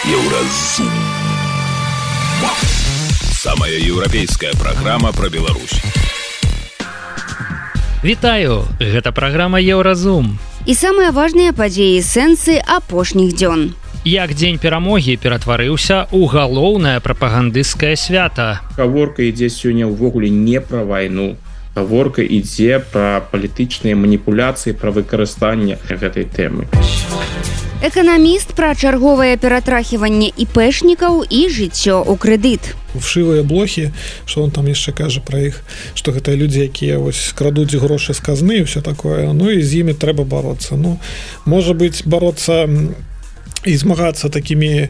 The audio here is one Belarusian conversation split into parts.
Еўразум. Самая еўрапейская праграма пра Беларусь. Вітаю, гэта праграма Еўразум. І самыя важныя падзеі сэнсы апошніх дзён. Як дзень перамогі ператварыўся ў галоўнае прапагандысцкае свята. Гаворка ідзе сёння ўвогуле не пра вайну. Гаворка ідзе пра палітычныя маніпуляцыі, пра выкарыстанне гэтай тэмы. Эканаміст пра чарговае ператрахіванне іпэшнікаў і жыццё ў крэдыт. Вшивыя блохі, што он там яшчэ кажа пра іх, што гэта людзі, якія вось крадуць грошы з казны і ўсё такое. Ну і з імі трэба бароцца. Ну, можа быць, бароцца і змагацца такімі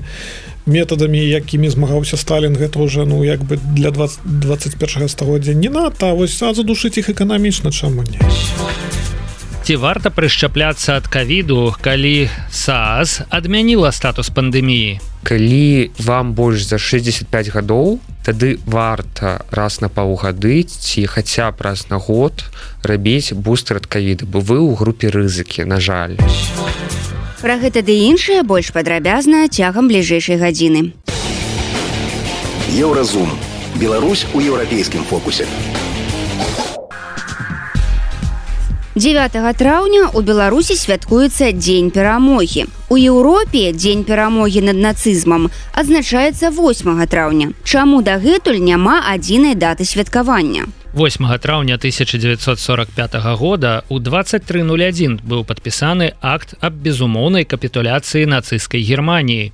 метадамі, якімі змагаўся Сталін, гэта ўжо, ну, як бы для 21 стагоддзя не надта, а вось задушыць іх эканамічна, чаму не? Ці варта прышчапляцца ад ковіду, калі СААС адмяніла статус пандэміі? Калі вам больш за 65 гадоў, тады варта раз на паўгады ці хаця б раз на год рабіць бустер ад ковіда, бо вы ў групе рызыкі, на жаль. Пра гэта ды іншае больш падрабязна цягам бліжэйшай гадзіны. Еўразум. Беларусь у еўрапейскім фокусе. 9 траўня ў Беларусі святкуецца Дзень перамогі. У Еўропе Дзень перамогі над нацызмам адзначаецца 8 траўня. Чаму дагэтуль няма адзінай даты святкавання? 8 траўня 1945 года у 23:01 быў падпісаны акт аб безумоўнай капітуляцыі нацысцкай Германіі.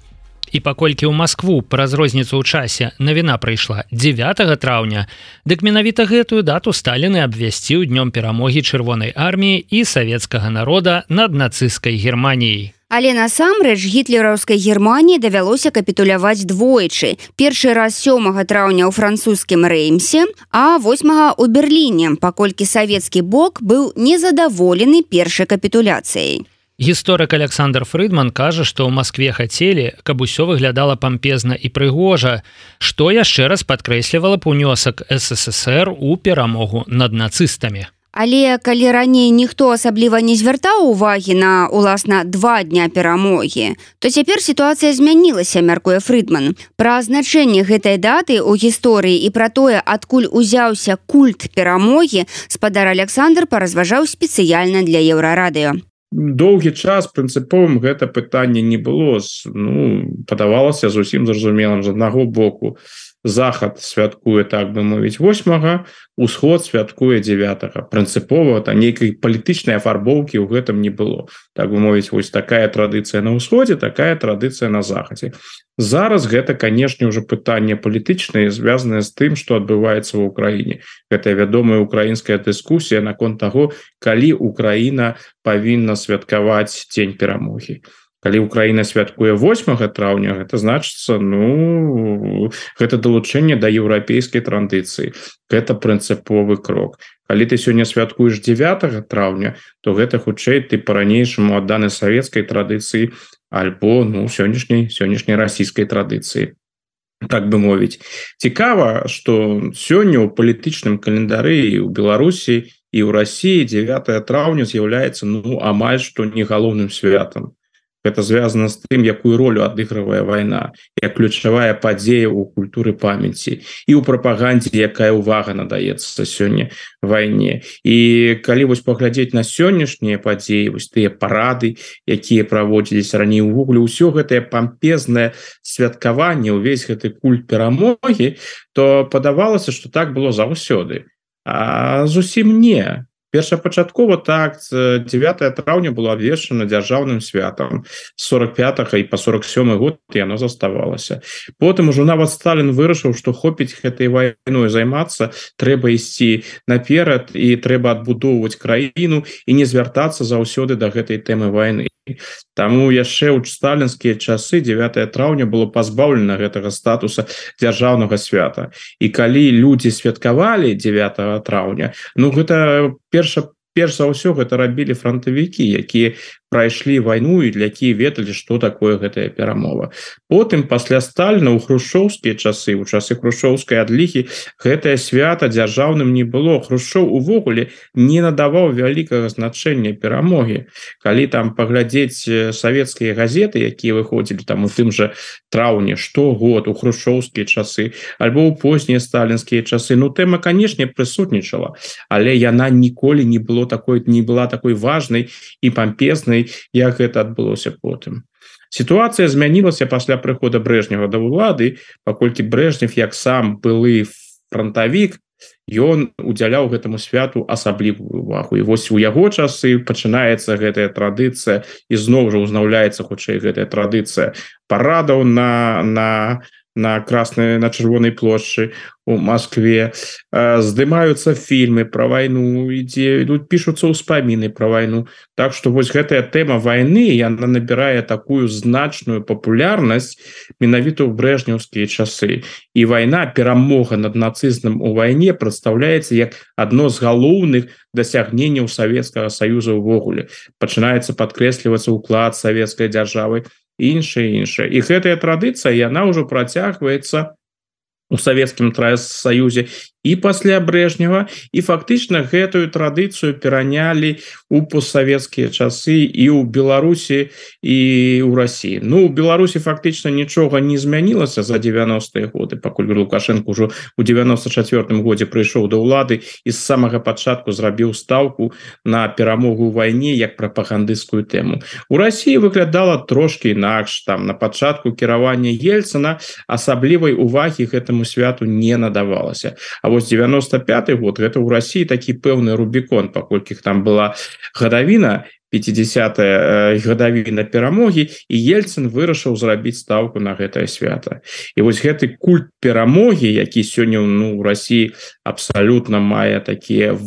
І паколькі ў Маскву праз розніцу ў часе навіна прыйшла 9 траўня, дык менавіта гэтую дату Сталін і абвясціў днём перамогі Чырвонай арміі і савецкага народа над нацысцкай Германіяй. Але насамрэч гітлераўскай Германіі давялося капітуляваць двойчы. Першы раз 7 траўня ў французскім Рэймсе, а 8 ў Берліне, паколькі савецкі бок быў незадаволены першай капітуляцыяй. Гісторык Александр Фрыдман кажа, што ў Маскве хацелі, каб усё выглядала пампезна і прыгожа, што яшчэ раз падкрэслівала б унёсак СССР у перамогу над нацыстамі. Але калі раней ніхто асабліва не звяртаў увагі на, уласна, 2 дня перамогі, то цяпер сітуацыя змянілася, мяркуе Фрыдман. Пра значэнне гэтай даты ў гісторыі і пра тое, адкуль узяўся культ перамогі, спадар Александр паразважаў спецыяльна для Еўрарадыё. Доўгі час прынцыповым гэта пытанне не было. Ну, падавалася зусім зразумелым. З аднаго боку захад святкуе, так бы мовіць, 8, усход святкуе 9. Прынцыпова нейкай палітычнай афарбоўкі ў гэтым не было. Так бы мовіць, вось такая традыцыя на ўсходзе, такая традыцыя на захадзе. Зараз гэта, канешне, ўжо пытанне палітычнае, звязанае з тым, што адбываецца ў Украіне. Гэта вядомая украінская дыскусія наконт таго, калі Украіна павінна святкаваць Дзень перамогі. Калі Украіна святкуе 8 траўня, гэта значыцца, ну, гэта далучэнне да еўрапейскай традыцыі. Гэта прынцыповы крок. Калі ты сёння святкуеш 9 траўня, то гэта хутчэй ты па-ранейшаму адданы савецкай традыцыі альбо, ну, сённяшняй расійскай традыцыі. Так бы мовіць. Цікава, што сёння ў палітычным календары і ў Беларусі, і ў Расіі 9 траўня з'яўляецца, ну, амаль што не галоўным святам. Гэта звязана з тым, якую ролю адыгрывае вайна, як ключавая падзея ў культуры памяці і ў прапагандзе, якая ўвага надаецца сёння вайне. І калі вось паглядзець на сённяшнія падзеі, вось тыя парады, якія праводзіліся раней, увогуле ўсё гэтае пампезнае святкаванне, увесь гэты культ перамогі, то падавалася, што так было заўсёды. А зусім не. Першапачаткова так 9 траўня было абвешчана дзяржаўным святам. З 45 і па 47 год яно заставалася. Потым ужо нават Сталін вырашыў, што хопіць гэтай вайной займацца, трэба ісці наперад і трэба адбудоўваць краіну і не звяртацца заўсёды да гэтай тэмы вайны. Таму яшчэ ў сталінскія часы 9 траўня было пазбаўлена гэтага статуса дзяржаўнага свята. І калі людзі святкавалі 9 траўня, ну гэта перш за ўсё гэта рабілі фронтавікі, якія прайшлі вайну і для якія ведалі што такое гэтая перамова. Потым пасля Сталіна ў хрушчоўскія часы, у часы хрушчоўскай адлігі гэтае свята дзяржаўным не было. Хрушчоў увогуле не надаваў вялікага значэння перамогі. Калі там паглядзець савецкія газеты, якія выходзілі там у тым жа траўні штогод у хрушчоўскія часы альбо ў познія сталінскія часы, ну тэма, канешне, прысутнічала, але яна ніколі не была такой важнай і пампезнай, як гэта адбылося потым. Сітуацыя змянілася пасля прыхода Брэжнева да ўлады, паколькі Брэжнев, як сам былы фронтавік, ён удзяляў гэтаму святу асаблівую увагу. І вось у яго часы пачынаецца гэтая традыцыя, і зноў жа узнаўляецца хутчэй гэтая традыцыя парадаў на чырвонай плошчы у Москве, здымаюцца фільмы пра вайну, ідуць пішуцца ўспаміны пра вайну. Так што вось гэтая тэма вайны, яна набірае такую значную папулярнасць менавіта ў брэжнеўскія часы. І вайна, перамога над нацызмам у вайне прадстаўляецца як адно з галоўных дасягненняў Савецкага Саюза ўвогуле. Пачынаецца падкрэслівацца ўклад савецкай дзяржавы, іншае. І гэтая традыцыя, яна ўжо працягваецца у Савецкім Саюзе і пасля Брэжнева, і фактычна гэтую традыцыю перанялі ў постсавецкія часы і ў Беларусі, і ў Расіі. Ну, у Беларусі фактычна нічога не змянілася за 90-е годы, пакуль Лукашенко ўжо ў 94-м годзе прыйшоў да ўлады і з самага пачатку зрабіў стаўку на перамогу ў вайне як прапагандысцкую тэму. У Расіі выглядала трошкі інакш. Там на пачатку кіравання Ельцына асаблівай увагі гэтаму святу не надавалася. А вось 95-й год, гэта ў Расіі такі пэўны рубікон, паколькі там была гадавіна, 50-я гадавіна перамогі, і Ельцын вырашыў зрабіць стаўку на гэтае свята. І вось гэты культ перамогі, які сёння ў Расіі абсалютна мае такія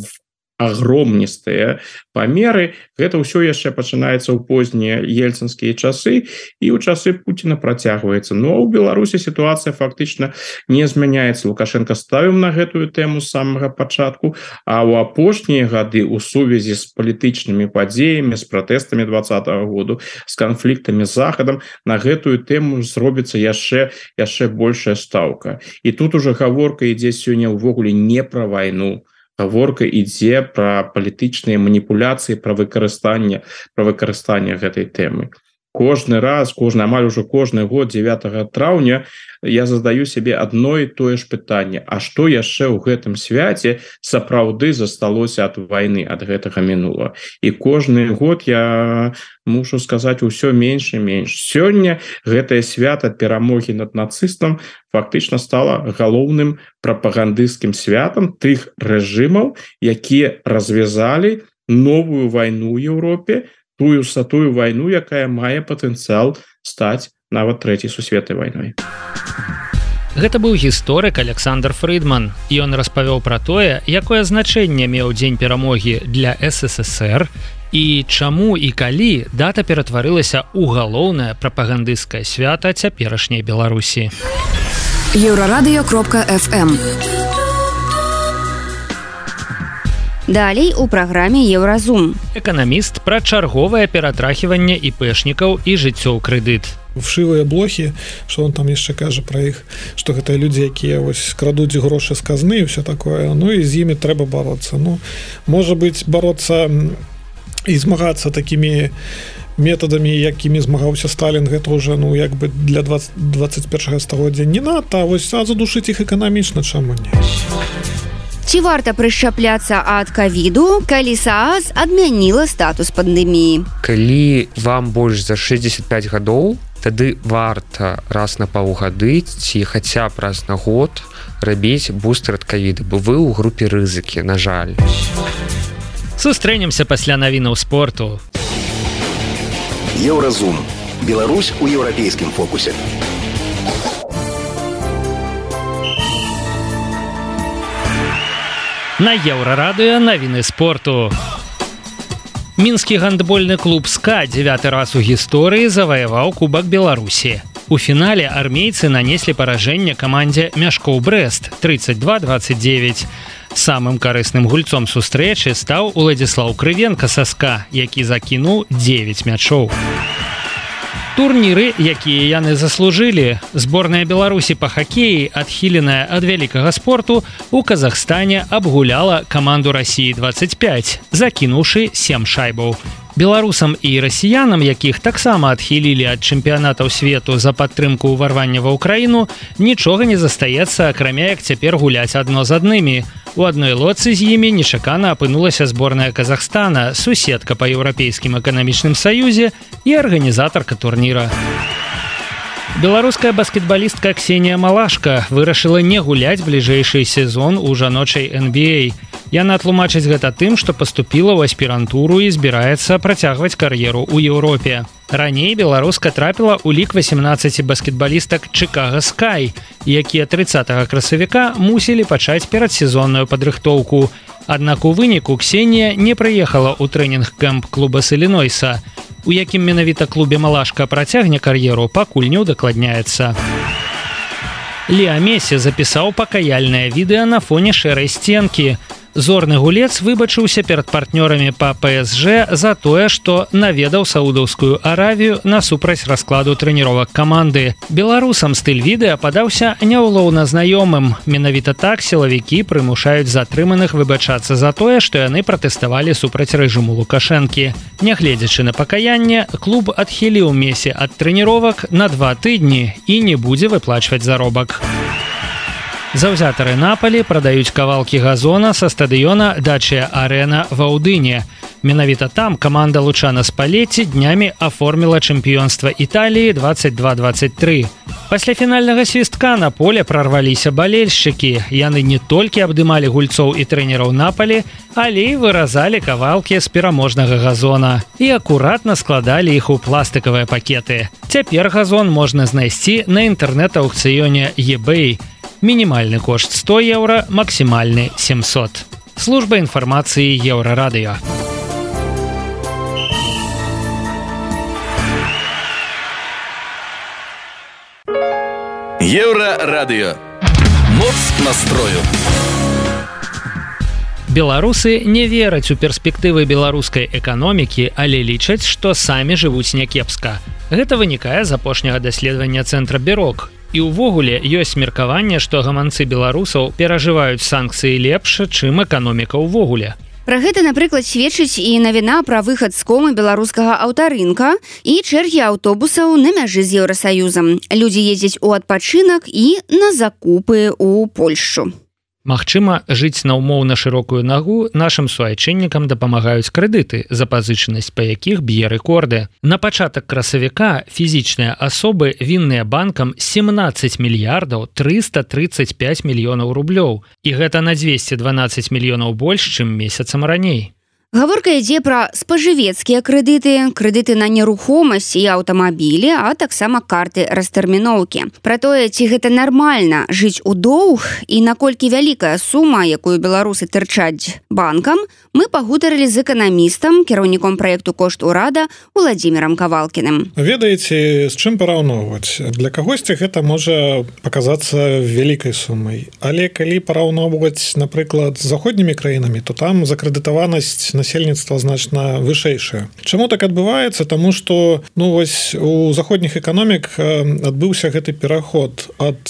агромністыя памеры, гэта ўсё яшчэ пачынаецца ў познія ельцынскія часы, і ў часы Пуціна працягваецца. Но ў Беларусі сітуацыя фактычна не змяняецца. Лукашенко ставіў на гэтую тэму з самага пачатку, а ў апошнія гады ў сувязі з палітычнымі падзеямі, з пратэстамі 20-го году, з канфліктамі з Захадам, на гэтую тэму зробіцца яшчэ большая стаўка. І тут ужо гаворка ідзе сёння ўвогуле не пра вайну. Гаворка ідзе пра палітычныя маніпуляцыі, пра выкарыстанне гэтай тэмы. Амаль ужо кожны год 9 траўня я задаю сябе адно і тое ж пытанне: а што яшчэ ў гэтым свяце сапраўды засталося ад вайны, ад гэтага мінула? І кожны год я мушу сказаць усё менш і менш. Сёння гэтае свята перамогі над нацыстам фактычна стала галоўным прапагандысцкім святам тых рэжымаў, якія развязалі новую вайну ў Еўропе, тую вайну, якая мае патэнцыял стаць нават трэцяй сусветнай вайной. Гэта быў гісторык Александр Фрыдман. Ён распавёў пра тое, якое значэнне меў дзень перамогі для СССР і чаму і калі дата ператварылася ў галоўнае прапагандысцкае свята цяперашняй Беларусі. Еўрарадыё.фм. Далей у праграме Еўразум. Эканаміст пра чарговае ператрахіванне іпэшнікаў і жыццё ў крэдыт. Вшивыя блохі, што он там яшчэ кажа пра іх, што гэта людзі, якія вось крадуць грошы з казны і ўсё такое. Ну і з імі трэба бароцца. Ну, можа быць, бароцца і змагацца такімі метадамі, якімі змагаўся Сталін, гэта ўжо, ну, як бы для 21 стагоддзя не надта, а вось задушыць іх эканамічна, чаму не? Ці варта прышчапляцца ад ковіду, калі СААС адмяніла статус пандэміі? Калі вам больш за 65 гадоў, тады варта раз на паўгады ці хаця б раз на год рабіць бустер ад ковіда, бо вы ў групе рызыкі, на жаль. Сустрэнемся пасля навінаў спорту. Еўразум. Беларусь у еўрапейскім фокусе. На Еўрарадыё навіны спорту. Мінскі гандбольны клуб СКА 9 раз у гісторыі заваяваў Кубак Беларусі. У фінале армейцы нанеслі паражэнне камандзе Мяшкоў Брэст 32-29. Самым карысным гульцом сустрэчы стаў Уладзіслаў Крывенка са СКА, які закінуў 9 мячоў. Турніры, якія яны заслужылі. Зборная Беларусі па хакеі, адхіленая ад вялікага спорту, у Казахстане абгуляла каманду Расіі 25, закінуўшы 7 шайбаў. Беларусам і расіянам, якіх таксама адхілілі ад чэмпіянатаў свету за падтрымку ўварвання ва ўкраіну, нічога не застаецца, акрамя як цяпер гуляць адно з аднымі. У адной лодцы з імі нечакана апынулася зборная Казахстана, суседка па Еўрапейскім эканамічным саюзе і арганізатарка турніра. Беларуская баскетбалістка Ксенія Малашка вырашыла не гуляць бліжэйшы сезон у жаночай NBA. Яна тлумачыць гэта тым, што паступіла ў аспірантуру і збіраецца працягваць кар'еру ў Еўропе. Раней беларуска трапіла ў лік 18 баскетбалістак Чикаго Sky, якія 30 красавіка мусілі пачаць перадсезонную падрыхтоўку. Аднак у выніку Ксенія не прыехала ў трэнінг-кэмп клуба з Іллінойса. У якім менавіта клубе Малашка працягне кар'еру, пакуль не ўдакладняецца. Леа Месі запісаў пакаяльнае відэа на фоне шэрай сценкі. Зорны гулец выбачыўся перад партнёрамі па ПСЖ за тое, што наведаў Саудаўскую Аравію насупраць раскладу трэніровак каманды. Беларусам стыль відэа падаўся няўлоўна знаёмым. Менавіта так сілавікі прымушаюць затрыманых выбачацца за тое, што яны пратэставалі супраць рэжыму Лукашэнкі. Нягледзячы на пакаянне, клуб адхіліў Месі ад трэніровак на 2 тыдні і не будзе выплачваць заробак. Заўзятары Напалі прадаюць кавалкі газона са стадыёна Дачыя-Арэна ва Ўдыне. Менавіта там каманда Лучана Спалетці днямі аформіла чэмпіёнства Італіі 22-23. Пасля фінальнага свістка на поле прарваліся балельшчыкі. Яны не толькі абдымалі гульцоў і трэнераў Напалі, але і выразалі кавалкі з пераможнага газона і акуратна складалі іх у пластыкавыя пакеты. Цяпер газон можна знайсці на інтэрнэт-аўкцыёне eBay. Мінімальны кошт 100 еўра, максімальны 700. Служба інфармацыі Еўрарадыё. Еўрарадыё. Моц настрою. Беларусы не вераць у перспектывы беларускай эканомікі, але лічаць, што самі жывуць някепска. Гэта вынікае з апошняга даследавання цэнтра Бюрок. І ўвогуле ёсць меркаванне, што гаманцы беларусаў перажываюць санкцыі лепш, чым эканоміка ўвогуле. Пра гэта, напрыклад, сведчыць і навіна пра выхад з комы беларускага аўтарынка і чэргі аўтобусаў на мяжы з Еўрасаюзам. Людзі ездзяць у адпачынак і на закупы ў Польшчу. Магчыма, жыць на ўмоўна шырокую нагу нашым суайчыннікам дапамагаюць крэдыты, запазычанасць па якіх б'е рэкорды. На пачатак красавіка фізічныя асобы вінныя банкам 17 мільярдаў 335 мільёнаў рублёў. І гэта на 212 мільёнаў больш, чым месяцам раней. Гаворка ідзе пра спажывецкія крэдыты, крэдыты на нерухомасць і аўтамабілі, а таксама карты растэрміноўкі. Пра тое, ці гэта нармальна жыць у доўг і наколькі вялікая сума, якую беларусы тырчаць банкам, мы пагутарылі з эканамістам, кіраўніком праекту «Кошт урада» Уладзімірам Кавалкіным. Ведаеце, з чым параўноўваць? Для кагосьці гэта можа паказацца вялікай сумай. Але калі параўноўваць, напрыклад, з заходнімі краінамі, то там закрэдытаванасць насельніцтва значна вышэйшае. Чаму так адбываецца? Таму што вось у заходніх эканомік адбыўся гэты пераход ад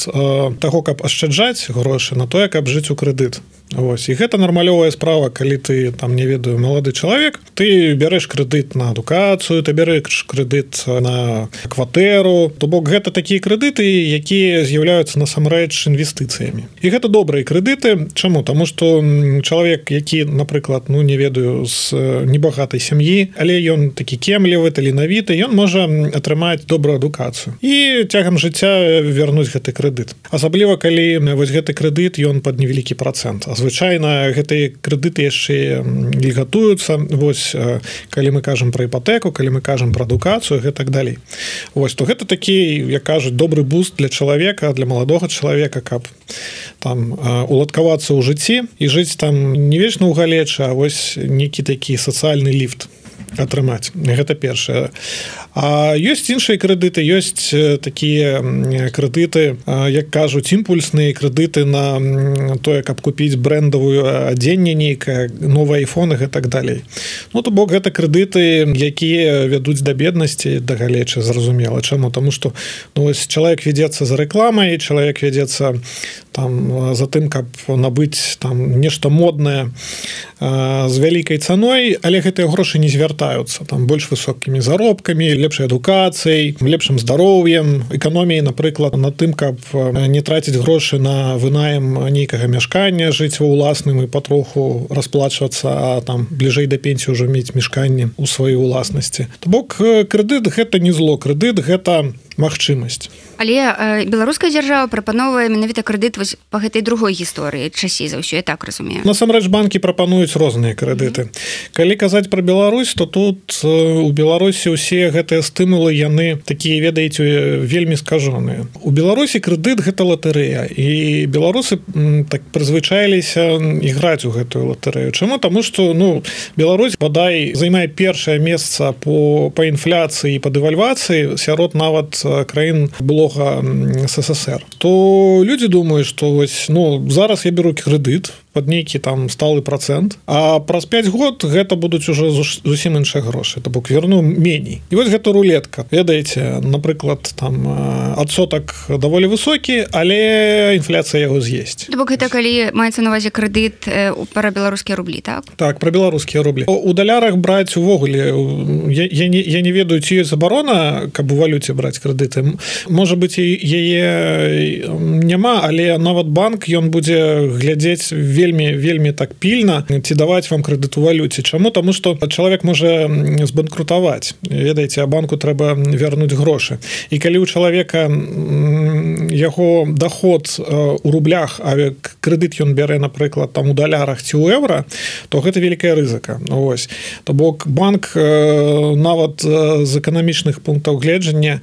таго, каб ашчаджаць грошы на тое, каб жыць у крэдыт. Вось. І гэта нармалёвая справа, калі ты, там, не ведаю, малады чалавек, ты бярэш крэдыт на адукацыю, ты бярэш крэдыт на кватэру, то бок гэта такія крэдыты, якія з'яўляюцца насамрэч інвестыцыямі. І гэта добрыя крэдыты. Чаму? Таму што чалавек, які, напрыклад, не ведаю, з небагатай сям'і, але ён такі кемлівы, таленавіты, ён можа атрымаць добрую адукацыю. І цягам жыцця вярнуць гэты крэдыт. Асабліва, калі вось гэты крэдыт, ён пад невялікі працэнт. Звычайна гэтыя крэдыты яшчэ льгатуюцца. Вось калі мы кажам пра іпатэку, калі мы кажам пра адукацыю, гэта так далей. Вось, то гэта такі, як кажуць, добры буст для чалавека, для маладога чалавека, каб там уладкавацца ў жыцці і жыць там не вечна ў галечы, а вось нейкі такі сацыяльны ліфт. атрымаць. Гэта першае. А ёсць іншыя крэдыты, ёсць такія крэдыты, як кажуць, імпульсныя крэдыты на тое, каб купіць брэндавую адзенне нейкае, новыя айфоны і так далей. Ну, то бок гэта крэдыты, якія вядуць да беднасці, да галечы, зразумела. Чаму? Таму што чалавек вядзецца за рэкламай, чалавек вядзецца там за тым, каб набыць там нешта моднае з вялікай цаной, але гэтыя грошы не звяртаюцца там больш высокімі заробкамі, лепшай адукацыяй, лепшым здароўем, эканоміяй, напрыклад, на тым, каб не траціць грошы на вынаем нейкага мяшкання, жыць ва ўласным і патроху расплачвацца, а там бліжэй да пенсіі ўжо мець мяшканне ў сваёй уласнасці. То бок крэдыт гэта не зло, крэдыт гэта магчымасць. Але беларуская дзяржава прапановвае менавіта крэдыт вось па гэтай другой гісторыі, часцей за ўсё, я так разумею. Насамрэч банкі прапануюць розныя крэдыты. Калі казаць пра Беларусь, то тут у Беларусі ўсе гэтыя стымулы, яны такія, ведаеце, вельмі скажоныя. У Беларусі крэдыт гэта латарэя, і беларусы так прызвычаіліся іграць у гэтую латарэю. Чаму? Таму што Беларусь бадай займае першае месца по інфляцыі і па дэвальвацыі сярод нават краін былога СССР. То людзі думаюць, што вось, зараз я беру крэдыт пад нейкі там сталы процент, а праз 5 год гэта будуць уже зусім іншыя грошы, то бок верну меней. І вось гэта рулетка. Ведаеце, напрыклад, там адсотак даволі высокі, але інфляцыя яго з'есць. То бок гэта калі маецца на увазе крэдыт пра беларускія рублі, так? Так, пра беларускія рублі. У далярах браць увогуле, я не ведаю, ці ёсць забарона, каб у валюце браць крэдыты. Можа быць, яе няма, але нават банк, ён будзе глядзець вельмі так пільна, ці даваць вам крэдыт у валюце. Чаму? Таму што чалавек можа збанкрутаваць. Ведаеце, а банку трэба вярнуць грошы. І калі ў чалавека яго доход у рублях, а крэдыт ён бярэ, напрыклад, там у далярах ці ў еўра, то гэта вялікая рызыка. Ось. То бок банк нават з эканамічных пунктаў гледжання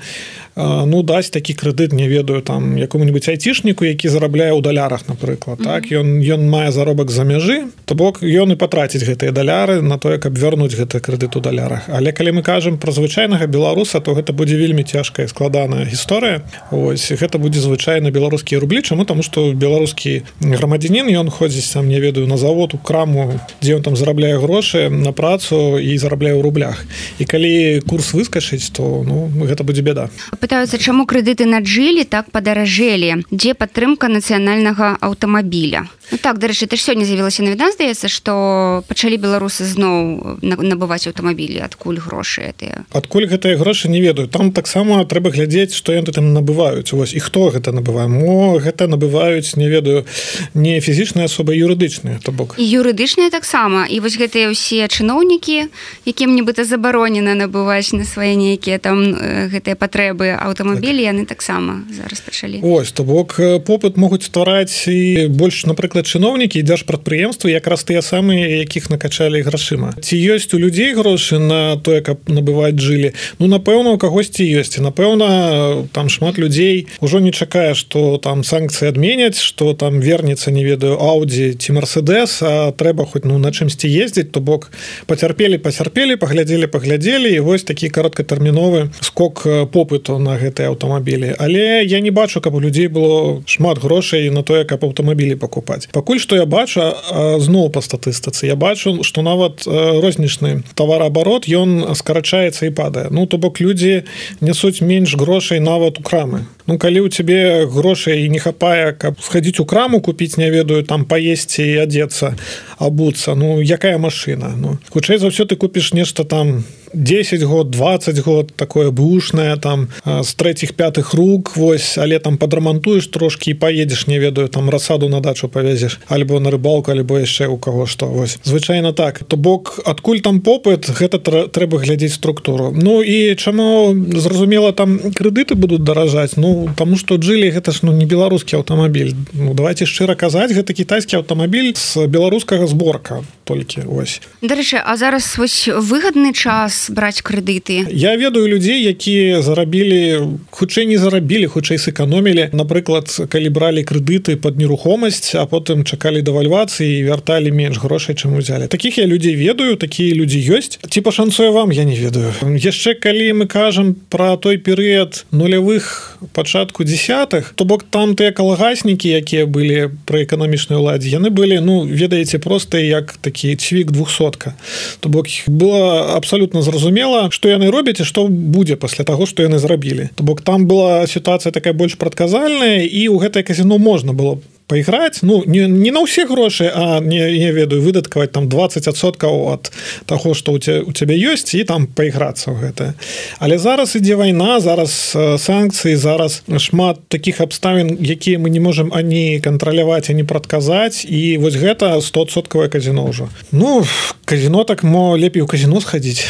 дасць такі крэдыт, не ведаю, там якому-нибудь айцішніку, які зарабляе ў далярах, напрыклад. Так? Ён мае заробак за мяжы, то бок ён і патраціць гэтыя даляры на тое, каб вярнуць гэты крэдыт у далярах. Але калі мы кажам пра звычайнага беларуса, то гэта будзе вельмі цяжкая, складаная гісторыя. Ось, гэта будзе звычайна беларускія рублі. Чаму? Таму што беларускі грамадзянін, ён ходзіць там, не ведаю, на завод, у краму, дзе ён там зарабляе грошы на працу і зарабляе ў рублях. І калі курс выскачыць, то гэта будзе бяда. Пытаюцца, чаму крэдыты на джылі так падаражэлі? Дзе падтрымка нацыянальнага аўтамабіля? Так, дарэчы, ты ж сёння з'явілася навіна, здаецца, што пачалі беларусы зноў набываць аўтамабілі. Адкуль грошы гэтыя? Адкуль гэтыя грошы, не ведаю. Там таксама трэба глядзець, што яны там набываюць. Вось, і хто гэта набывае? Гэта набываюць, не ведаю, не фізічныя асобы, юрыдычныя, то бок. І юрыдычныя таксама. І вось гэтыя ўсе чыноўнікі, якім нібыта забаронена набываць на свае нейкія там гэтыя патрэбы аўтамабілі, яны таксама зараз пачалі. Ось, то бок попыт могуць ствараць і больш, напрыклад, чыноўнікі і дзяржпрадпрыемствы, якраз тыя самыя, якіх накачалі грашыма. Ці ёсць у людзей грошы на тое, каб набываць жылі? Напэўна, у кагосьці ёсць. І, напэўна, там шмат людзей ужо не чакае, што там санкцыі адменяць, што там вернецца, не ведаю, Audi ці Mercedes, а трэба хоць на чымсьці ездзіць, то бок пацярпелі, паглядзелі, і вось такі кароткатэрміновы скок попыту на гэтыя аўтамабілі. Але я не бачу, каб у людзей было шмат грошай на тое, каб аўтамабілі пакупаць. Пакуль што я бачу, зноў па статыстыцы, я бачу, што нават рознічны тавараабарот, ён скарачаецца і падае. То бок людзі нясуць менш грошай нават у крамы. Калі ў цябе грошай не хапае, каб схадзіць у краму, купіць, не ведаю, там паесці і адзецца, абуцца, якая машына? Хутчэй за ўсё ты купіш нешта там 10 год, 20 год, такое бушнае, там, з 3-5 рук, вось, але там падрамантуеш трошкі і паедзеш, не ведаю, там расаду на дачу павезеш, альбо на рыбалку, альбо яшчэ ў каго што, вось. Звычайна так. То бок, адкуль там попыт, гэта трэба глядзець структуру. І чаму, зразумела, там крэдыты будуць даражаць? Ну таму што Джили гэта ж не беларускі аўтамабіль. Ну давайте шчыра казаць, гэта кітайскі аўтамабіль з беларускага зборка толькі ось. Дарэчы, а зараз вось выгадны час браць крэдыты. Я ведаю людзей, якія зарабілі, хутчэй не зарабілі, хутчэй сэканомілі. Напрыклад, калі бралі крэдыты пад нерухомасць, а потым чакалі дэвальвацыі і вярталі менш грошай, чым узялі. Такіх я людзей ведаю, такія людзі ёсць. Ці пашанцуе вам, я не ведаю. Яшчэ калі мы кажам пра той перыяд нулявых, пачатку десятых, то бок там тыя калгаснікі, якія былі пры эканамічнай уладзе, яны былі, ну, ведаеце, проста як такі цвік 200-ка. То бок было абсалютна зразумела, што яны робяць і што будзе пасля таго, што яны зрабілі. То бок там была сітуацыя такая больш прадказальная, і ў гэтае казіно можна было пайграць, ну, не на ўсе грошы, а не ведаю, выдаткаваць там 20% ад таго, што у цябе ёсць, і там пайграцца ў гэта. Але зараз ідзе вайна, зараз санкцыі, зараз шмат такіх абставін, якія мы не можам ані кантраляваць, ані прадказаць, і вось гэта 100% казіно ўжо. Ну, казіно так, мо лепей у казіно схадзіць.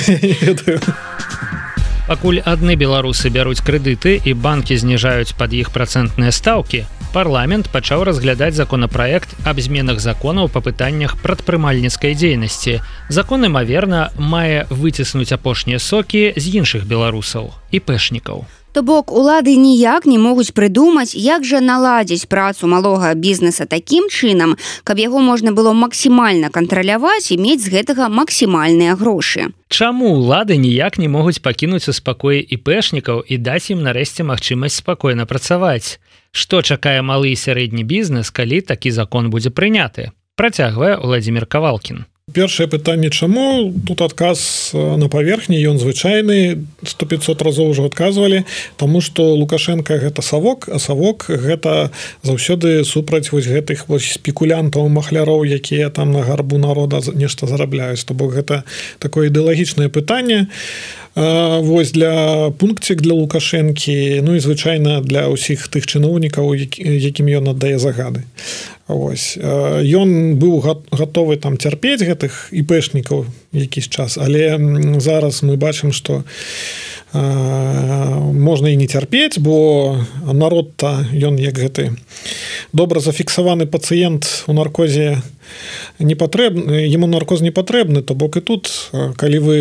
Не ведаю. Пакуль адны беларусы бяруць крэдыты і банкі зніжаюць пад іх працэнтныя стаўкі, парламент пачаў разглядаць законапраект аб зменах законаў па пытаннях прадпрымальніцкай дзейнасці. Закон, імаверна, мае выціснуць апошнія сокі з іншых беларусаў і пэшнікаў. То бок, улады ніяк не могуць прыдумаць, як жа наладзіць працу малога бізнеса такім чынам, каб яго можна было максімальна кантраляваць і мець з гэтага максімальныя грошы. Чаму улады ніяк не могуць пакінуць у спакоі іпэшнікаў і даць ім нарэшце магчымасць спакойна працаваць? Што чакае малы і сярэдні бізнес, калі такі закон будзе прыняты? Працягвае Владзімір Кавалкін. Першае пытанне, чаму? Тут адказ на паверхні, ён звычайны, 100-500 разоў ужо адказвалі, таму што Лукашенко гэта савок, а савок гэта заўсёды супраць вось гэтых вось спекулянтаў, махляроў, якія там на гарбу народа нешта зарабляюць. То бок гэта такое ідэалагічнае пытанне. Вось для пункцік для Лукашэнкі, ну і звычайна для ўсіх тых чыноўнікаў, якім ён аддае загады. Вось. Ён быў гатовы там цярпець гэтых іпэшнікаў якийсь час, але зараз мы бачым, што можна і не цярпець, бо народ-то, ён як гэты добра зафіксаваны пацыент у наркозе не патрэбны, яму наркоз не патрэбны, то бок і тут, калі вы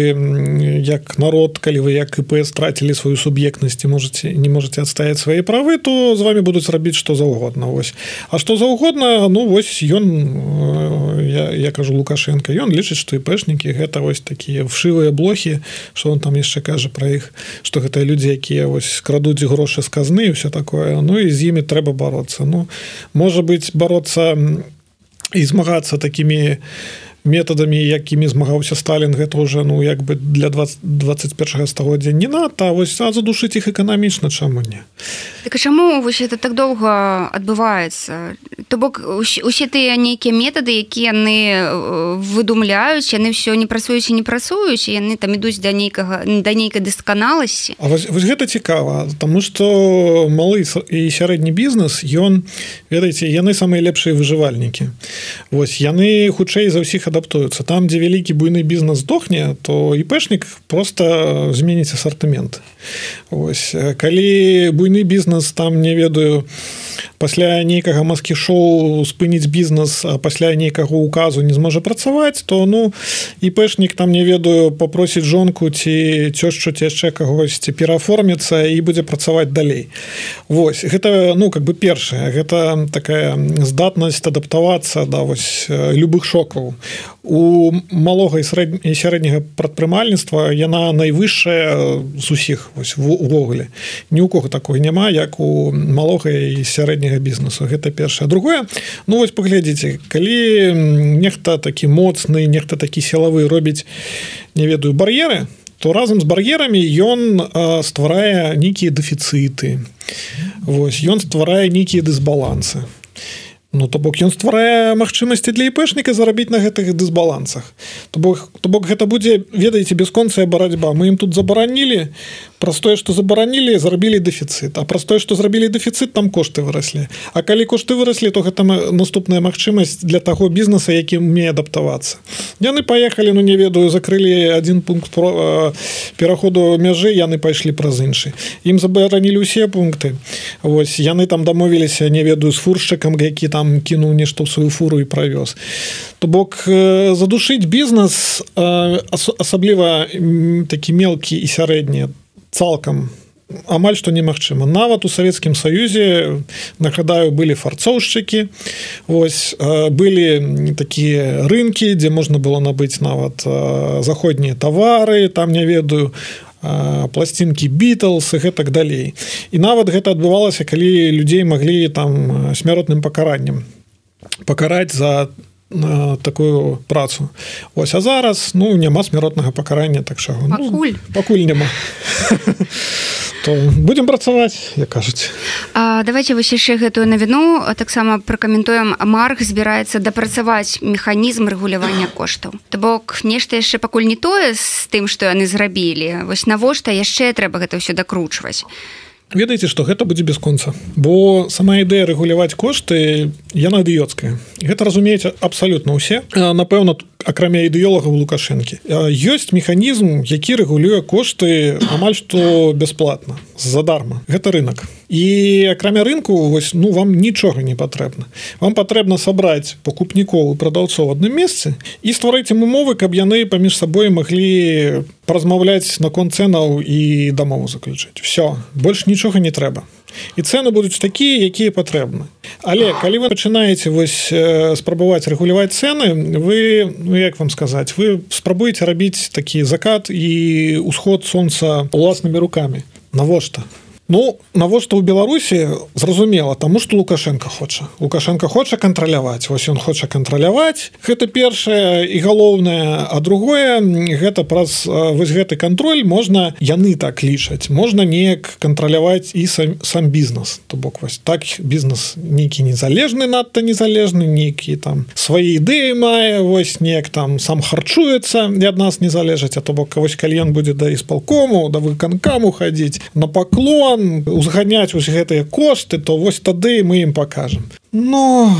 як народ, калі вы як ІП страцілі сваю суб'ектнасць і не можаце адстаяць свае правы, то з вами будуць рабіць што заўгодна. Вось. А што заўгодна, ну вось ён, я кажу Лукашенко, ён лічыць, што ІПшнікі гэта вось такія вшывыя блохі, што он там яшчэ кажа пра іх, што гэта людзі, якія вось крадуць грошы з казны і ўсё такое, ну і з імі трэба бароцца. Ну, можа быць, бароцца і змагацца такімі метадамі, якімі змагаўся Сталін, гэта ўжо, ну, як бы для 21 стагоддзя не надта, а вось задушыць іх эканамічна, чаму не? Так а чаму вось это так доўга адбываецца? То бок, усе тыя нейкія метады, якія яны выдумляюць, яны ўсё не працуюць і не працуюць, і яны там ідуць да нейкай дасканаласці. А вось гэта цікава, таму што малы і сярэдні бізнес, ён, ведаеце, яны самыя лепшыя выжывальнікі. Вось, яны хутчэй за ўсіх адаптуюцца. Там, дзе вялікі буйны бізнес здохне, то ІПшнік проста зменіць асартымент. Вось. Калі буйны бізнес, там, не ведаю, пасля нейкага маскі-шоу спыніць бізнес, а пасля нейкага указу не зможа працаваць, то, ну, ІПшнік, там, не ведаю, папросіць жонку ці цёшчу, ці яшчэ кагосьці перааформіцца і будзе працаваць далей. Вось. Гэта, ну, как бы першае. Гэта такая здатнасць адаптавацца да вось любых шокаў. У малога і сярэдняга прадпрымальніцтва яна найвышшая з усіх вось увогуле. Ні ў кого такога няма, як у малога і сярэдняга бізнесу. Гэта першае. Другое, ну вось паглядзіце, калі нехта такі моцны, нехта такі сілавы робіць, не ведаю, бар'еры, то разам з бар'ерамі ён стварае нейкія дэфіцыты. Вось, ён стварае нейкія дысбалансы. Ну, то бок ён стварае магчымасці для іпэшніка зарабіць на гэтых дысбалансах. То бок гэта будзе, ведаеце, бясконцая барацьба. Мы ім тут забаранілі, праз тое, што забаранілі, зрабілі дэфіцыт. А праз тое, што зрабілі дэфіцыт, там кошты выраслі. А калі кошты выраслі, то гэта наступная магчымасць для таго бізнеса, які умее адаптавацца. Яны паехалі, ну не ведаю, закрылі адзін пункт пераходу мяжы, яны пайшлі праз іншы. Ім забаранілі ўсе пункты. Вось, яны там дамовіліся, не ведаю, з фуршчыкам, які там кінуў нешта ў сваю фуру і правёз. То бок задушыць бізнес, асабліва такі мелкі і сярэдні, цалкам амаль што немагчыма. Нават у Савецкім Саюзе, нагадаю, былі фарцоўшчыкі, вось, былі такія рынкі, дзе можна было набыць нават заходнія тавары, там, не ведаю, пласцінкі Beatles і гэтак далей. І нават гэта адбывалася, калі людзей маглі там смяротным пакараннем пакараць за такую працу. Ось, а зараз, ну, няма смяротнага пакарання, так що... Пакуль няма. То будем працаваць, як кажуць. Давайте вось яшчэ гэтую навіну таксама пракаментуем. Марк збіраецца дапрацаваць механізм рэгулявання коштаў. То бок нешта яшчэ пакуль не тое з тым, што яны зрабілі. Вось навошта яшчэ трэба гэта ўсё дакручваць? Ведаеце, што гэта будзе бясконца, бо сама ідэя рэгуляваць кошты, яна ідыёцкая. Гэта разумеюць абсалютна ўсе. Напэўна, акрамя ідэолагаў Лукашэнкі. Ёсць механізм, які рэгулюе кошты амаль што бясплатна, задарма. Гэта рынок. І акрамя рынку, вось, ну, вам нічога не патрэбна. Вам патрэбна сабраць пакупнікоў і прадаўцоў у адным месцы і стварыць ім умовы, каб яны паміж сабой маглі паразмаўляць наконт цэнаў і дамову заключыць. Всё, больш нічога не трэба. І цэны будуць такія, якія патрэбны. Але калі вы пачынаеце вось спрабаваць рэгуляваць цэны, вы, ну як вам сказаць, вы спрабуеце рабіць такі закат і ўсход сонца уласнымі рукамі. Навошта? Ну, навошта ў Беларусі, зразумела, таму што Лукашенко хоча. Лукашенко хоча кантраляваць. Вось ён хоча кантраляваць. Гэта першае і галоўнае, а другое, гэта праз вось гэты кантроль можна, яны так лічаць, можна неяк кантраляваць і сам бізнес. То бок вось так бізнес нейкі незалежны, надта незалежны, нейкі там свае ідэі мае, вось неяк там сам харчуецца, і ад нас не залежаць, а то бок вось калі ён будзе да ісполкому, да выканкаму хадзіць, на паклон, узганяць вось гэтыя кошты, то вось тады мы ім пакажам. Ну,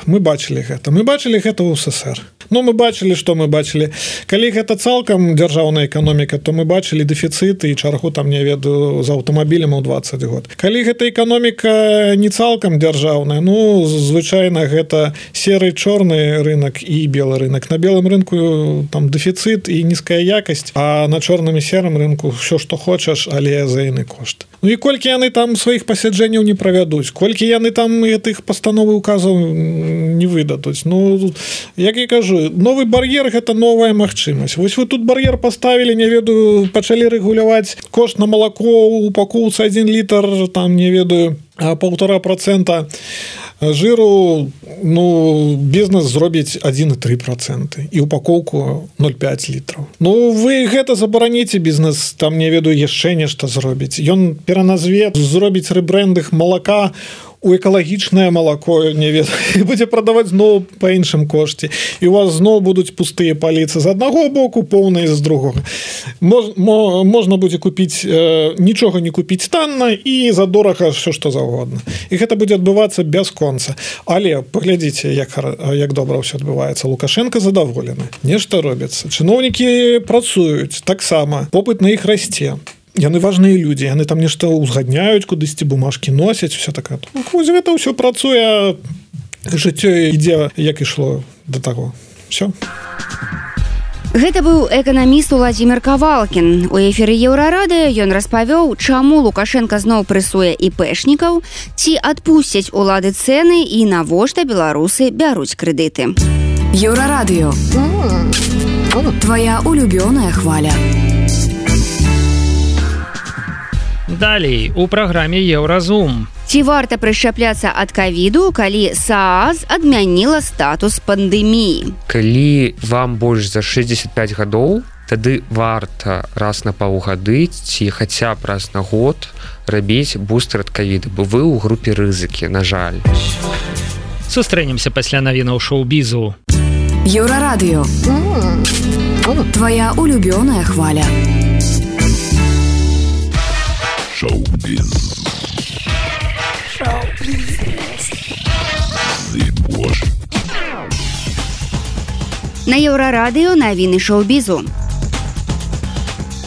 мы бачылі гэта. Мы бачылі гэта ў СССР. Ну, мы бачылі, што мы бачылі. Калі гэта цалкам дзяржаўная эканоміка, то мы бачылі дэфіцыты і чаргу там, не ведаю, з аўтамабілем у 20 год. Калі гэта эканоміка не цалкам дзяржаўная, ну, звычайна гэта серы чорны рынок і белы рынок. На белым рынку там дэфіцыт і нізкая якасць, а на чорным і серым рынку ўсё, што хочаш, але за іны кошт. Ну і колькі яны там сваіх пасяджэнняў не правядуць, колькі яны там гэтых пастановы указаў не выдадуць. Ну, як я кажу, новы бар'ер – гэта новая магчымасць. Вось вы тут бар'ер паставілі, не ведаю, пачалі рэгуляваць кошт на малако у упакоўцы 1 літр, там, не ведаю, 1,5% жиру, ну, бізнес зробіць 1,3% і упакоўку 0,5 літраў. Ну, вы гэта забараніце, бізнес, там, не ведаю, яшчэ нешта зробіць. Ён пераназве, зробіць рэбрэндинг малака у экалагічнае малако, не ведаю, і будзе прадаваць зноў па іншым кошце. І у вас зноў будуць пустыя паліцы з аднаго боку, поўныя з другога. Можна будзе купіць, нічога не купіць танна і за дорага ўсё што заўгодна. І гэта будзе адбывацца бясконца. Але паглядзіце, як добра ўсё адбываецца. Лукашенко задаволены. Нешта робіцца. Чыноўнікі працуюць таксама. Попыт на іх расце. Яны важныя людзі, яны там нешта ўзгадняюць, кудысьці бумажкі носяць, все такое. Вось гэта ўсё працуе, жыццё ідзе, як ішло да таго. Всё. Гэта быў эканаміст Уладзімір Кавалкін. У эфіры Еўрарады ён распавёў, чаму Лукашенко зноў прэсуе іпэшнікаў, ці адпусцяць улады цэны і навошта беларусы бяруць крэдыты. Еўрарадыё. Твоя улюбёная хваля. Далей у праграме Еўразум. Ці варта прышчапляцца ад ковіду, калі СААЗ адмяніла статус пандэміі? Калі вам больш за 65 гадоў, тады варта раз на паўгады ці хаця б раз на год рабіць бустер ад ковіда, бо вы ў групе рызыкі, на жаль. Сустрэнемся пасля навінаў шоу-бізу. Еўрарадыё. Твоя улюбёная хваля. Шоу-біз. На Еўрарадыё навіны шоу-бізу.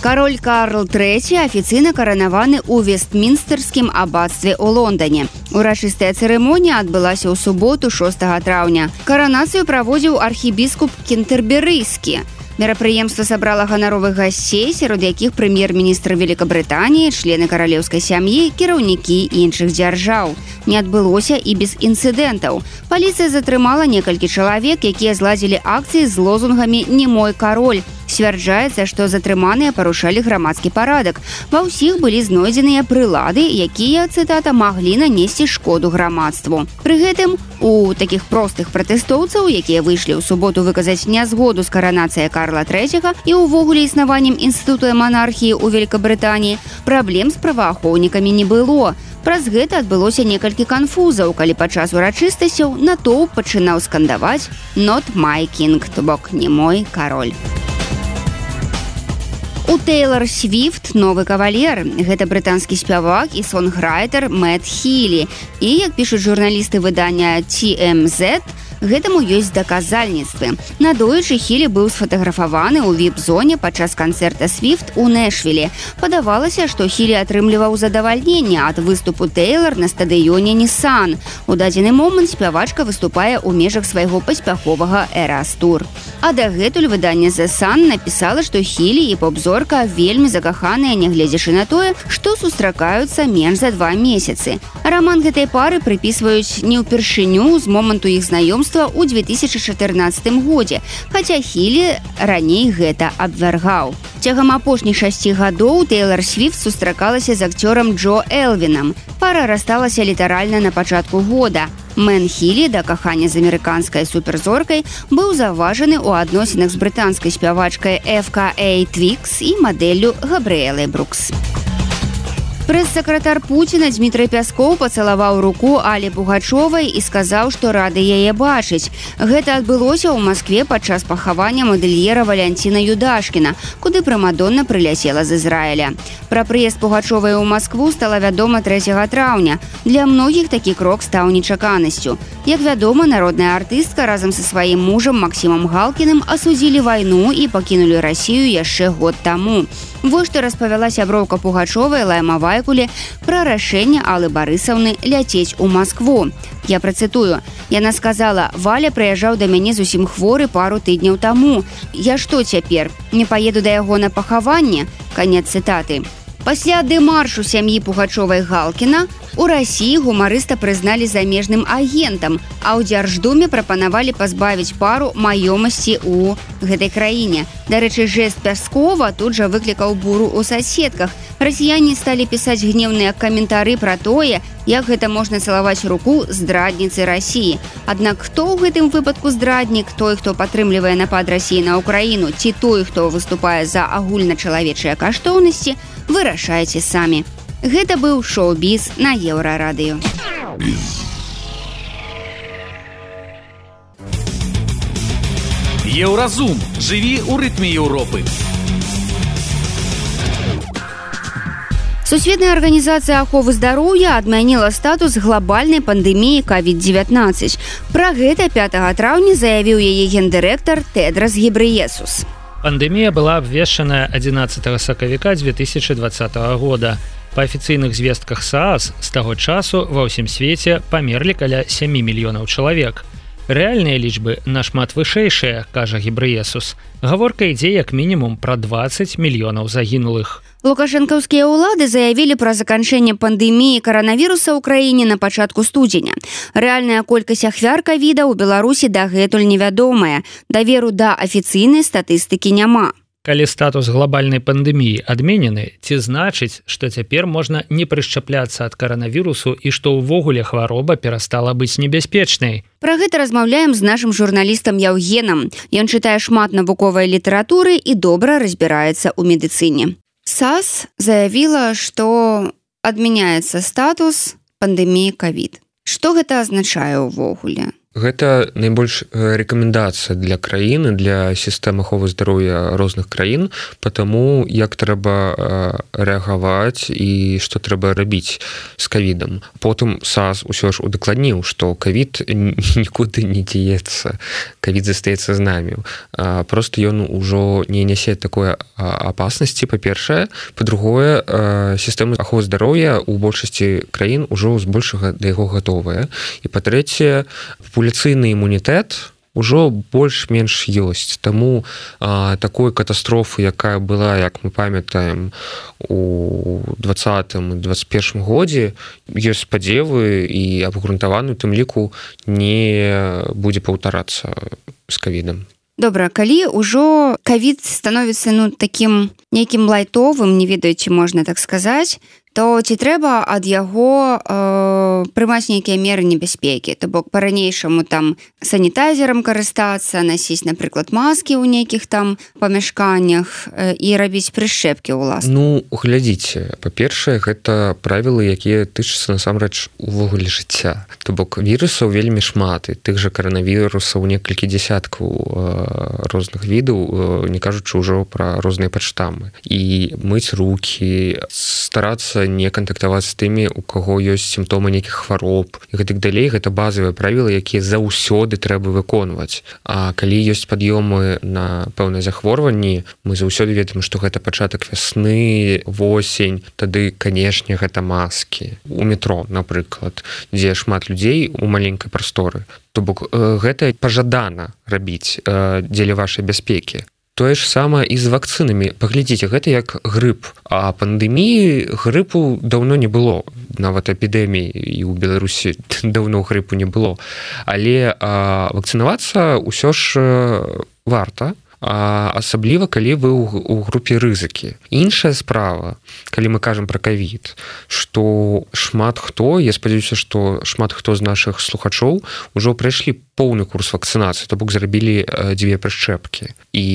Кароль Карл III афіцыйна каранаваны ў Вестмінстэрскім аббацтве ў Лондане. Урачыстая цырымонія адбылася ў суботу 6 траўня. Каранацыю праводзіў архібіскуп Кентерберыйскі. Мерапрыемства сабрала ганаровых гасцей, сярод якіх прэм'ер-міністр Великабрытаніі, члены каралеўскай сям'і, кіраўнікі іншых дзяржаў. Не адбылося і без інцыдэнтаў. Паліцыя затрымала некалькі чалавек, якія зладзілі акцыі з лозунгамі «Не мой кароль». Сцвярджаецца, што затрыманыя парушалі грамадскі парадак. Ва ўсіх былі знойдзеныя прылады, якія, цытата, маглі нанесці шкоду грамадству. Пры гэтым у такіх простых пратэстоўцаў, якія выйшлі ў суботу выказаць нязгоду з каранацыяй Карла III і ўвогуле існаваннем інстытута манархіі ў Великабрытаніі, праблем з праваахоўнікамі не было. Праз гэта адбылося некалькі канфузаў, калі падчас урачыстасцяў натоўп пачынаў скандаваць «Not my king», то бок «Не мой кароль». У Тейлор Свіфт новы кавалер. Гэта брытанскі спявак і сонграйтер Мэтт Хілі. І, як пішуць журналісты выдання TMZ, гэтаму ёсць даказальніцтвы. Надоечы Хілі быў сфотаграфаваны ў віп-зоне падчас канцэрта Свіфт у Нэшвіле. Падавалася, што Хілі атрымліваў задавальненне ад выступу Тейлор на стадыёне Nissan. У дадзены момант спявачка выступае ў межах свайго паспяховага Эрас-тур. А дагэтуль выданне The Sun напісала, што Хілі і поп-зорка вельмі закаханыя, нягледзячы на тое, што сустракаюцца менш за 2 месяцы. Раман гэтай пары прыпісваюць не ўпершыню з моманту іх знаёмства ў 2014 годзе, хаця Хілі раней гэта абвяргаў. Цягам апошніх 6 гадоў Тейлор Свіфт сустракалася з акцёрам Джо Элвінам. Пара рассталася літаральна на пачатку года. Мэн Хілі, да кахання з амерыканскай суперзоркай, быў заўважаны ў адносінах з брытанскай спявачкай FKA Twigs і мадэллю Габрыэлай Брукс. Прэс-сакратар Пуціна Дмітрый Пяскоў пацалаваў руку Алі Пугачовай і сказаў, што рады яе бачыць. Гэта адбылося ў Маскве падчас пахавання мадэльера Валянціна Юдашкіна, куды прымадонна прыляцела з Ізраіля. Пра прыезд Пугачовай у Маскву стала вядома 3 траўня. Для многіх такі крок стаў нечаканасцю. Як вядома, народная артыстка разам са сваім мужам Максімам Галкіным асудзілі вайну і пакінулі Расію яшчэ год таму. Вось што распавяла сяброўка Пугачовай Лайма Вайкуле пра рашэнне Аллы Барысаўны ляцець у Маскву. Я працытую. Яна сказала: «Валя прыязджаў да мяне зусім хворы пару тыдняў таму. Я што цяпер? Не паеду да яго на пахаванне?» Канец цытаты. Пасля дэмаршу сям'і Пугачовай Галкіна у Расіі гумарыста прызналі замежным агентам, а ў Дзярждуме прапанавалі пазбавіць пару маёмасці ў гэтай краіне. Дарэчы, жэст Пяскова тут жа выклікаў буру ў соседках. Расіяне сталі пісаць гневныя каментары пра тое, як гэта можна цалаваць руку здрадніцы Расіі. Аднак хто ў гэтым выпадку здраднік, той, хто падтрымлівае напад Расіі на Украіну, ці той, хто выступае за агульначалавечыя каштоўнасці, вырашайце самі. Гэта быў шоу-біз на Еўрарадыё. Еўразум. Жыві ў рытме Еўропы. Сусветная арганізацыя аховы здароўя адмяніла статус глобальнай пандэміі COVID-19. Пра гэта 5 траўня заявіў яе гендырэктар Тедрос Гебрыесус. Пандемія была абвешчана 11 сакавіка 2020 года. Па афіцыйных звестках СААС з таго часу ва ўсім свеце памерлі каля 7 мільёнаў чалавек. Рэальныя лічбы нашмат вышэйшыя, кажа Гебрыесус. Гаворка ідзе як мінімум пра 20 мільёнаў загінулых. Лукашэнкаўскія ўлады заявілі пра заканчэнне пандэміі каранавіруса ў краіне на пачатку студзеня. Рэальная колькасць ахвяр ковіда ў Беларусі дагэтуль невядомая. Даверу да афіцыйнай статыстыкі няма. Калі статус глобальнай пандэміі адменены, ці значыць, што цяпер можна не прышчапляцца ад каранавірусу і што ўвогуле хвароба перастала быць небяспечнай? Пра гэта размаўляем з нашым журналістам Яўгенам. Ён чытае шмат навуковай літаратуры і добра разбіраецца ў медыцыне. САС заявіла, што адмяняецца статус пандэміі ковід. Што гэта азначае ўвогуле? Гэта найбольш рэкамендацыя для краіны, для сістэмы аховы здароўя розных краін, потому як трэба рэагаваць і што трэба рабіць з ковідам. Потым САС усё ж удакладніў, што ковід нікуды не дзеецца, ковід застаецца з намі. Просто ён ужо не нясе такой апаснасці, па-першае. Па-другое, сістэма аховы здароўя ў большасці краін ужо збольшага да яго гатовая. І па-трэцяе, популяцыйны імунітэт ужо больш-менш ёсць. Таму такой катастрофы, якая была, як мы памятаем, у 2020-2021 годзе, ёсць спадзевы і абгрунтаваны, у тым ліку не будзе паўтарацца з ковідам. Добра, калі ўжо ковід становіцца такім нейкім лайтовым, не ведаю, ці можна так сказаць, то ці трэба ад яго прымаць нейкія меры небяспекі? То бок па-ранейшаму там санітайзерам карыстацца, насіць, напрыклад, маскі ў нейкіх там памяшканнях і рабіць прышчэпкі ўласна. Ну, глядзіце, па-першае, гэта правілы, якія тычацца насамрэч увогуле жыцця. То бок вірусаў вельмі шмат, і тых жа каранавірусаў некалькі дзясяткаў розных відаў, не кажучы ўжо пра розныя падштаммы. І мыць рукі, старацца не кантактаваць з тымі, у каго ёсць сімптомы нейкіх хвароб і гэтак далей. Гэта базавыя правілы, якія заўсёды трэба выконваць. А калі ёсць пад'ёмы на пэўныя захворванні, мы заўсёды ведаем, што гэта пачатак вясны, восень, тады, канешне, гэта маскі. У метро, напрыклад, дзе шмат людзей у маленькай прасторы. То бок гэта пажадана рабіць дзеля вашай бяспекі. Тое ж самае і з вакцынамі. Паглядзіце, гэта як грып. А пандэміі грыпу даўно не было. Нават эпідэміі і ў Беларусі даўно грыпу не было. Але вакцынавацца ўсё ж варта. Асабліва, калі вы ў групе рызыкі. Іншая справа, калі мы кажам пра ковід, што шмат хто, я спадзяюся, што шмат хто з нашых слухачоў ужо прайшлі поўны курс вакцынацыі, то бок зрабілі 2 прышчэпкі. І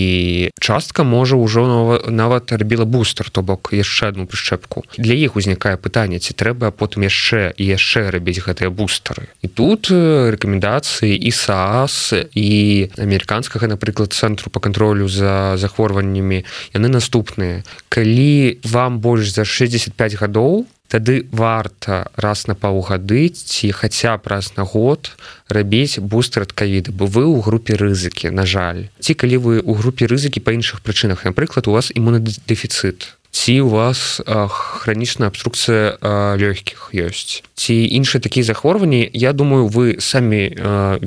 частка, можа, ўжо нават рабіла бустер, то бок яшчэ адну прышчэпку. Для іх узнікае пытанне, ці трэба потым яшчэ і яшчэ рабіць гэтыя бустары. І тут рэкамендацыі і САС, і амерыканскага, напрыклад, цэнтру па кантролю за захворваннямі, яны наступныя. Калі вам больш за 65 гадоў, тады варта раз на паўгады ці хаця б раз на год рабіць бустер ад ковіда, бо вы ў групе рызыкі, на жаль. Ці калі вы ў групе рызыкі па іншых прычынах, напрыклад, у вас імунадэфіцыт, ці у вас хранічная абструкцыя лёгкіх ёсць, ці іншыя такія захворванні, я думаю, вы самі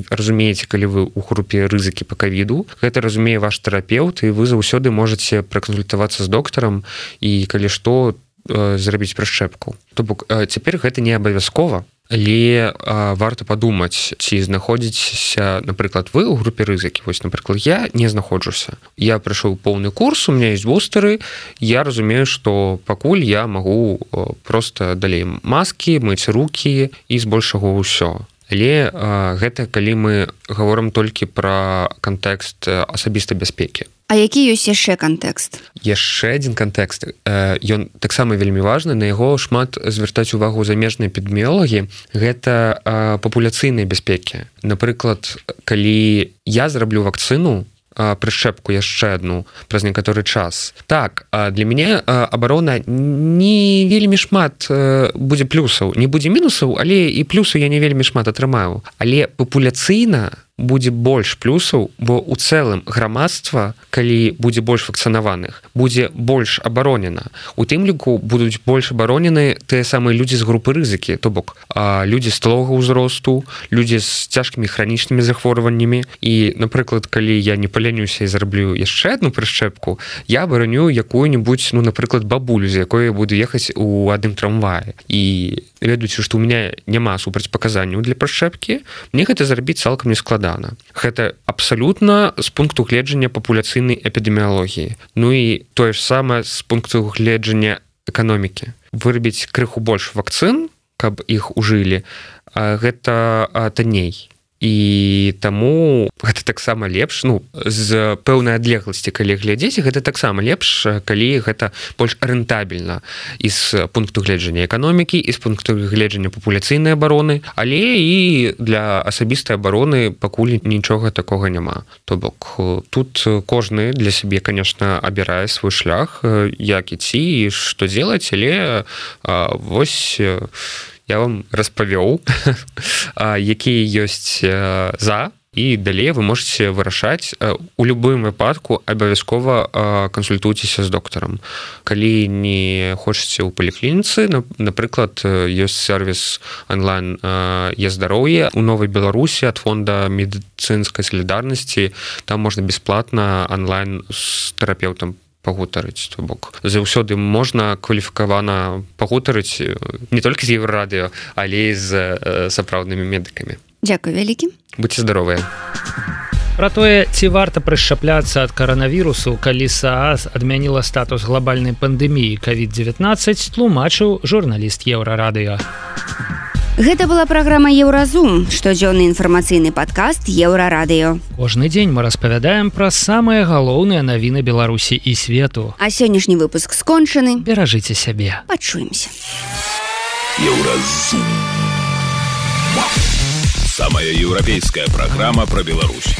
разумееце, калі вы ў групе рызыкі па ковіду. Гэта разумее ваш тэрапеўт, і вы заўсёды можаце пракансультавацца з доктарам і, калі што, зрабіць прышчэпку. То бок цяпер гэта не абавязкова, але варта падумаць, ці знаходзіцеся, напрыклад, вы ў групе рызыкі. Вось, напрыклад, я не знаходжуся. Я прайшоў поўны курс, у меня ёсць бустары, я разумею, што пакуль я магу проста далей маскі, мыць рукі і збольшага ўсё. Але гэта калі мы гаворым толькі пра кантэкст асабістай бяспекі. А які ёсць яшчэ кантэкст? Яшчэ адзін кантэкст. Ён таксама вельмі важны, на яго шмат звяртаць увагу замежныя эпідэміолагі. Гэта папуляцыйныя бяспекі. Напрыклад, калі я зраблю вакцыну, прышчэпку яшчэ адну праз некаторы час. Так, для мяне абарона не вельмі шмат будзе плюсаў, не будзе мінусаў, але і плюсаў я не вельмі шмат атрымаю. Але папуляцыйна будзе больш плюсаў, бо ў цэлым грамадства, калі будзе больш вакцынаваных, будзе больш абаронена. У тым ліку будуць больш абаронены тыя самыя людзі з групы рызыкі, то бок людзі сталога ўзросту, людзі з цяжкімі хранічнымі захворваннямі. І, напрыклад, калі я не палянюся і зраблю яшчэ адну прышчэпку, я абароню якую-нибудь, напрыклад, бабулю, з якой я буду ехаць у адным трамваі. І ведаючы, што ў мяне няма супрацьпаказанняў для прышчэпкі, мне гэта зрабіць цалкам не складана. Гэта абсалютна з пункту гледжання папуляцыйнай эпідэміялогіі. Ну і тое ж самае з пункту гледжання эканомікі. Вырабіць крыху больш вакцын, каб іх ужылі, гэта танней. і таму гэта таксама лепш, ну з пэўнай адлегласці калі глядзець, гэта таксама лепш, калі гэта больш рэнтабельна і з пункту гледжання эканомікі, і з пункту гледжання папуляцыйнай абароны, але і для асабістай абароны пакуль нічога такога няма. То бок тут кожны для сябе, конечно, абірае свой шлях, як ідці і што делать, але вось я вам распавёў, якія ёсць за, і далей вы можете вырашаць. У любым выпадку абавязкова кансультуйцеся з доктарам. Калі не хочаце ў паліклініцы, напрыклад, ёсць сервіс онлайн Е-здароўе у Новай Беларусі ад фонда медыцынскай салідарнасці, там можна бясплатна онлайн з тэрапеўтам пагутарыць. То бок заўсёды можна кваліфікавана пагутарыць не толькі з Еўрарадыё, але і з сапраўднымі медыкамі. Дзякуй вялікі. Будьце здаровыя. Пра тое, ці варта прышчапляцца ад каранавірусу, калі СААС адмяніла статус глобальнай пандэміі COVID-19, тлумачыў журналіст Еўрарадыё. Гэта была праграма Еўразум, штодзённы інфармацыйны падкаст Еўрарадыё. Кожны дзень мы распавядаем пра самыя галоўныя навіны Беларусі і свету. А сённяшні выпуск скончаны. Беражыце сябе. Пачуемся. Еўразум. Самая еўрапейская программа про Беларусь.